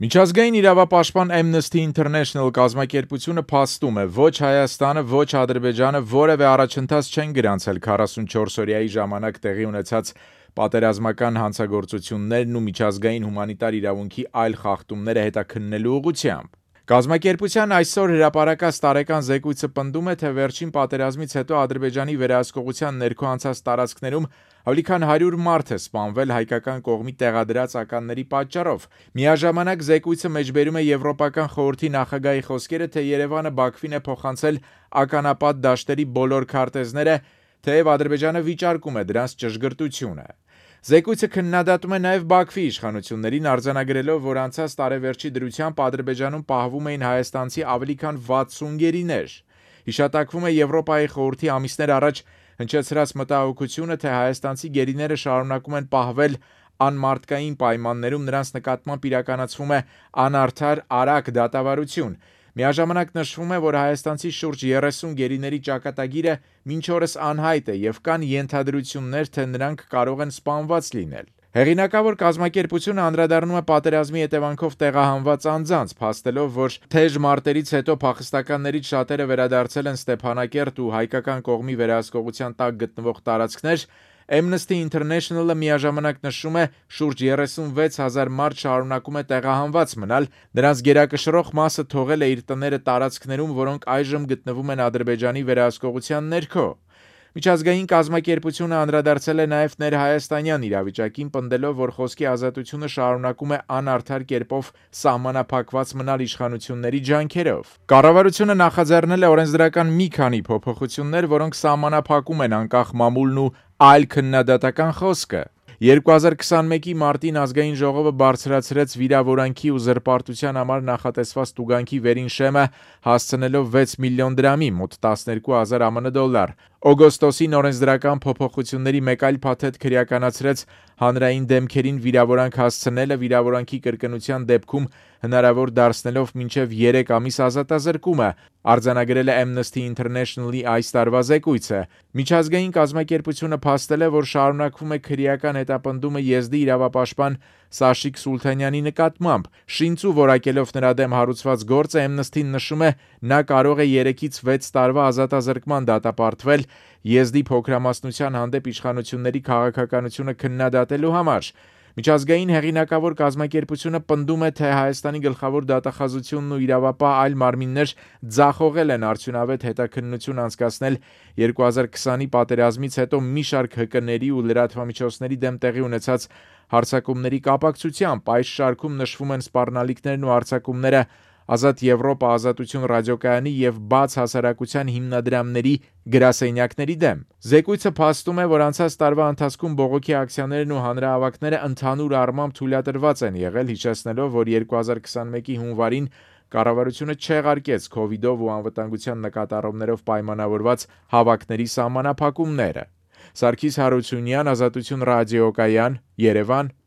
Միջազգային իրավապաշտպան Amnesty International կազմակերպությունը փաստում է, ոչ Հայաստանը, ոչ Ադրբեջանը որևէ առաջընթաց չեն գրանցել 44-օրյայի ժամանակ տեղի ունեցած պատերազմական հանցագործություններն ու միջազգային հումանիտար իրավունքի այլ խախտումները հետաքննելու ուղղությամբ։ Կազմակերպության այսօր հրապարակած տարեկան զեկույցը պնդում է, թե վերջին պատերազմից հետո Ադրբեջանի վերահսկողության ներքո անցած տարածքներում ավելի քան 100 մարդ է սպանվել հայկական կողմի տեղադրած ականների պատճառով։ Միաժամանակ զեկույցը մեջբերում է Եվրոպական խորհրդի նախագահի խոսքերը, թե Երևանը Բաքվին է փոխանցել ականապատ դաշտերի բոլոր քարտեզները, թեև Ադրբեջանը վիճարկում է դրանց ճշգրտությունը։ Զեկույցը քննադատում է նաև Բաքվի իշխանություններին, արձանագրելով, որ անցած տարեվերջի դրությամբ Ադրբեջանում պահվում էին հայաստանցի ավելի քան 60 գերիներ։ Հիշատակվում է Եվրոպայի խորհրդի ամիսներ առաջ հնչեցրած մտահոգությունը, թե հայաստանցի գերիները շարունակում են պահվել անմարդկային պայմաններում, նրանց նկատմամբ իրականացվում է անարդար արագ դատավարություն։ Միաժամանակ նշվում է, որ հայաստանցի շուրջ 30 գերիների ճակատագիրը մինչ օրս անհայտ է եւ կան ենթադրություններ, թե նրանք կարող են սպանված լինել։ Հեղինակավոր կազմակերպությունը անդրադառնում է պատերազմի հետևանքով տեղահանված անձանց, փաստելով, որ թեժ մարտերից հետո փախստականներից շատերը վերադարձել են Ստեփանակերտ ու հայկական կողմի վերահսկողության տակ գտնվող տարածքներ։ Amnesty International-ը միաժամանակ նշում է, շուրջ 36,000 մարդ շարունակում է տեղահանված մնալ, նրանց գերակշռող մասը թողել է իր տները տարածքներում, որոնք այժմ գտնվում են Ադրբեջանի վերահսկողության ներքո։ Միջազգային կազմակերպությունը անդրադարձել է նաև ներհայաստանյան իրավիճակին, պնդելով, որ խոսքի ազատությունը շարունակում է անարդար կերպով սահմանափակված մնալ իշխանությունների ջանքերով։ Կառավարությունը նախաձեռնել է օրենսդրական մի քանի փոփոխություններ, որոնք սահմանափակում են անկախ մամուլն ու այլ քննադատական խոսքը։ 2021-ի մարտին ազգային ժողովը բարձրացրեց վիրավորանքի ու զրպարտության համար նախատեսված տուգանքի վերին շեմը, հասցնելով 6 միլիոն դրամի, մոտ 12,000 ԱՄՆ դոլար։ Օգոստոսին օրենսդրական փոփոխությունների մեկ այլ փաթեթ քրեականացրեց հանրային դեմքերին վիրավորանք հասցնելը վիրավորանքի կրկնության դեպքում հնարավոր դարձնելով մինչև 3 ամիս ազատազրկումը, արձանագրել է Amnesty International-ի այս տարվա զեկույցը։ Միջազգային կազմակերպությունը փաստել է, որ շարունակվում է քրեական հետապնդումը եզդի իրավապաշտպան Սաշիկ Սուլթանյանի նկատմամբ։ Շինծու որակելով նրա դեմ հարուցված գործը Amnesty-ն նշում է, նա կարող է 3-ից 6 տարվա ազատազրկման դատապարտվել եզդի փոքրամասնության հանդեպ իշխանությունների քաղաքականությունը քննադատելու համար։ Միջազգային հեղինակավոր կազմակերպությունը պնդում է, թե Հայաստանի գլխավոր դատախազությունն ու իրավապահ այլ մարմիններ ձախողել են արդյունավետ հետաքննություն անցկացնել 2020-ի պատերազմից հետո մի շարք ՀԿ-ների ու լրատվամիջոցների դեմ տեղի ունեցած հարձակումների կապակցությամբ։ Այս շարքում նշվում են սպառնալիքներն ու հարձակումները Ազատ Եվրոպա, Ազատություն ռադիոկայանի եւ Բաց հասարակության հիմնադրամների գրասենյակների դեմ։ Զեկույցը փաստում է, որ անցած տարվա ընթացքում բողոքի ակցիաներն ու հանրահավաքները ընդհանուր առմամբ թույլատրված են եղել, հիշեցնելով, որ 2021-ի հունվարին կառավարությունը չեղարկեց քովիդով ու անվտանգության նկատառումներով պայմանավորված հավաքների սահմանափակումները։ Սարգիս Հարությունյան, Ազատություն ռադիոկայան, Երևան,